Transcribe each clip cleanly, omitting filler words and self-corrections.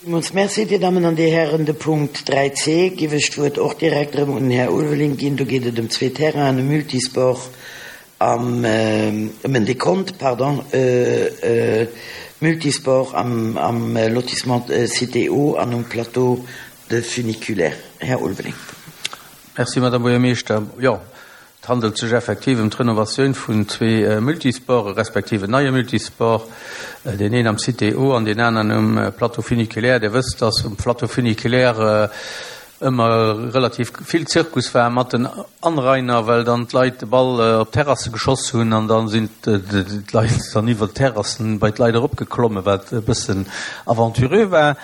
Villmools Merci, Dir Dammen an Dir Hären. De Punkt 3c giff ech d'Wuert och direkt erëm un den Här Ulveling ginn. Do geet et ëm zwee Terrainen, e Multisport am, ëm en Dekont, pardon, e Multisport am, am Lotissement Cité O an um Plateau de Funiculaire. Här Ulveling. Merci, Madame Buergermeeschter. Jo, Et handelt sech effektiv ëm d'Renovatioun vun zwee Multisporte respektiv en neie Multisport, deen een am Cité O an deen aneren um Plateau funiculaire. Dir wësst, dass um Plateau funiculaire ëmmer relativ vill Zirkus war mat den Anrainer, well dann d'Leit de Ball op d'Terrasse geschoss hunn an da sinn d'Leit dann iwwer d'Terrassen bei d'Leit eropgeklommen, wat e bëssen aventureux war.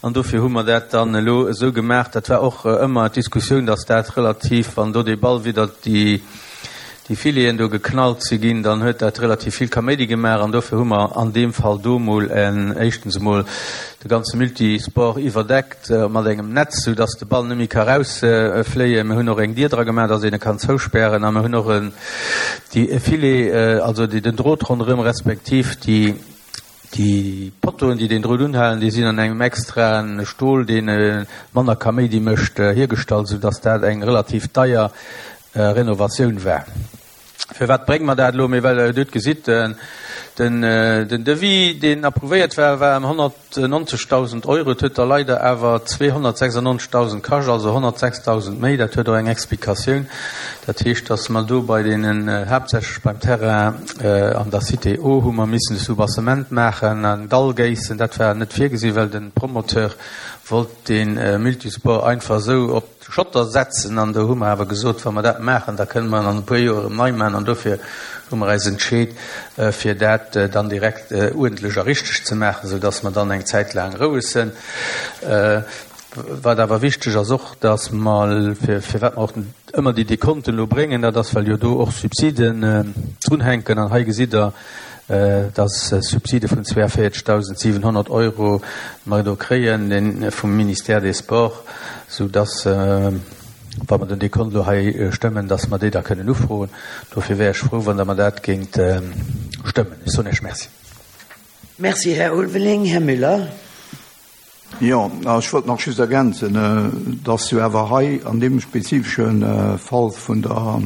An dofir hu mer dat dann elo esou gemaach. Dat war och ëmmer d'Diskussioun, dass dat relativ, wann do dee Ball widder déi Fileten do geknallt si ginn, dann huet dat relativ vill Kaméidi gemaach. An dofir hu mer an deem Fall do emol éischtens emol de ganze Multisport iwwerdeckt mat engem Netz, soudass de Ball net méi ka rausfléien. Mir hunn och eng Dier dra gemaach, dass een e kann zouspären. A mir hunn och déi Filet, also den Drot ronderëm, respektiv déi, Déi Pottoen, déi den Drot unhalen, déi sinn an engem extraen Stol, dee manner Kaméidi mécht, hiergestallt, sou dass dat eng relativ deier Renovatioun war. Firwat brénge mer dat elo? Mee well Der jo gesitt, den Devis, deen approuvéiert war, war ëm 190.000 Euro. Et huet der leider awer 296.000 kascht, also 106.000 méi. Dat huet och eng Explikatioun. Dat heescht, dass mer do bei deenen, haaptsächlech beim Terrain an der Cité O, hu mer missen e Soubassement maachen, en Dall géissen. Dat war net virgesinn, well de Promoteur wollt dee Multisport einfach esou op de Schotter setzen. An do hu mer awer gesot, wa mer dat maachen, da kënne mer en an e puer Joer erëm nei maachen. An dofir hu mer eis entscheet, fir dat dann direkt uerdentlech a richteg ze maachen, soudass mer dann eng Zäit laang roueg sinn. Wat awer wichteg ass och, dass mer, firwat mer och ëmmer déi Dekonten elo bréngen, dat ass, well jo do och Subsiden drunhänken. An hei gesitt Der, dass Subside vun 42.700 Euro mer do kréien vum Ministère des Sports, soudass, wa mer den Dekont elo hei stëmmen, dass mer déi da kënnen ufroen. Dofir wär ech frou, wann Der mer dat géingt stëmmen. Ech soen Iech Merci. Merci, Här Ulveling. Här Müller. Jo, ech wollt nach just ergänzen, dass jo awer hei an deem spezifesche Fall vun der,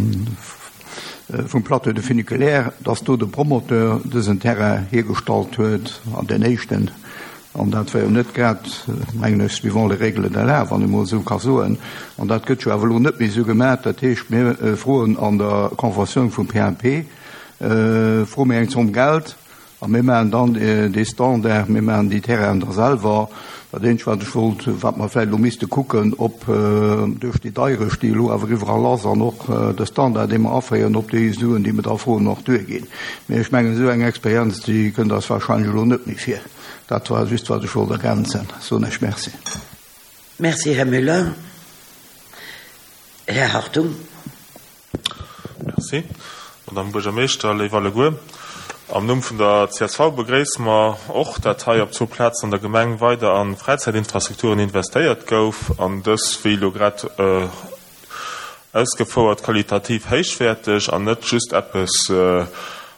vum Plateau de Funiculaire, dass do de Promoteur dësen Terrain hiergestallt huet an deen éischten, an dat war jo net grad, mengen ech, suivant les règles de l'art, wann ee mol esou ka soen, an dat gëtt jo awer elo net méi esou gemaach. Dat heescht, mir froen an der Conventioun vum PAP, froe mir eng Zomm Geld, A mir maachen dann dee Standard, mir maachen déi Terrainen da selwer. Dat eenzegt, wat ech wollt, wat mer vläicht elo misste kucken, ob duerch déi Deierecht, déi elo awer iwwerall ass, an och de Standard, dee mer aféieren, ob déi Suen, déi mer da froen, och duerginn. Mee ech mengen, esou eng Experienz, déi kënnt eis wahrscheinlech elo net méi vir. Dat war just, wat ech wollt ergänzen. Soen ech Merci. Merci, Här Müller. Här Hartung. Merci, Madame Buergermeeschter, léif alleguer. Am Numm vun der csv begréisse mer och, dat hei op zwou Plazen an der Gemeng weider a Fräizäitinfrastrukturen investéiert gouf an dës, wéi elo grad ausgefouert, qualitativ héichwäerteg an net just eppes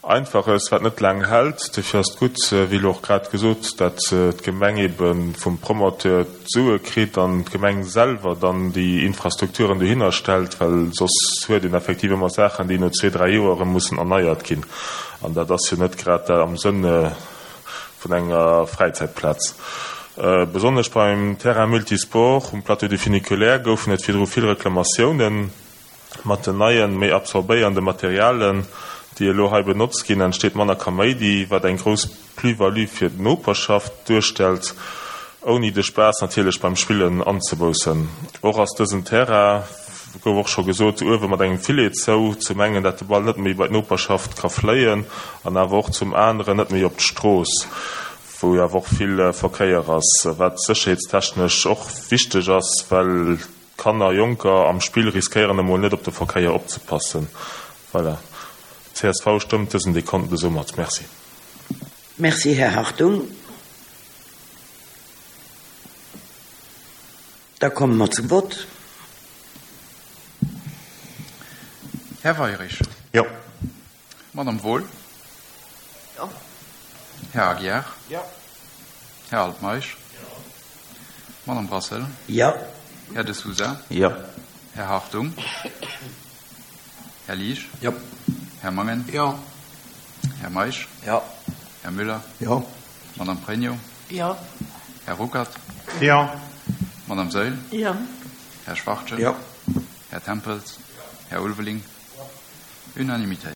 Einfaches, wat net laang hält. Dofir ass et gutt, wéi elo och grad gesot, dat d'Gemeng ebe vum Promoteur d'Sue kritt an d'Gemeng selwer dann déi Infrastrukturen dohinner stellt, well soss huet een effektiv ëmmer Saachen, déi no zwee, dräi Joer erëm mussen erneiert ginn. An dat ass jo net grad am Sënn vun enger Fräizäitplaz. Besonnesch beim Terrain multisport um Plateau du Funiculaire goufen et virdru vill Reklamatiounen. Mat den neien, méi absorbéierende Materialen, déi elo hei benotzt ginn, entsteet manner Kaméidi, wat eng grouss Plus-value fir d'Noperschaft duerstellt, ouni de Spaass natierlech beim Spillen anzeboussen. Och ass dësen Terrain, gouf och scho gesot, uewe mat engem Filet zou, zum engen dat de Ball net méi bei d'Noperschaft ka fléien an awer och zum aneren net méi op d'Strooss, wou jo awer och vill Verkéier ass, wat sécherheetstechnesch och wichteg ass, well Kanner, Jonker am Spill riskéieren emol net op de Verkéier opzepassen. Voilà. Csv stëmmt dësen Dekont esou mat. Merci. Merci, Här Hartung. Da komme mer zum Vott. Här Weirich. Jo. Madame Wohl. Jo. Här Aguiar. Jo. Här Altmeisch. Jo. Madame Brassel. Jo. Här De Sousa. Jo. Här Hartung. Här Liesch. Jo. Här Mangen. Jo. Här Meisch. Jo. Här Müller. Jo. Madame Pregno. Jo. Här Ruckert. Jo. Madame Saeul. Jo. Här Schwachtgen. Jo. Här Tempels. Här Ulveling. Unanimitéit.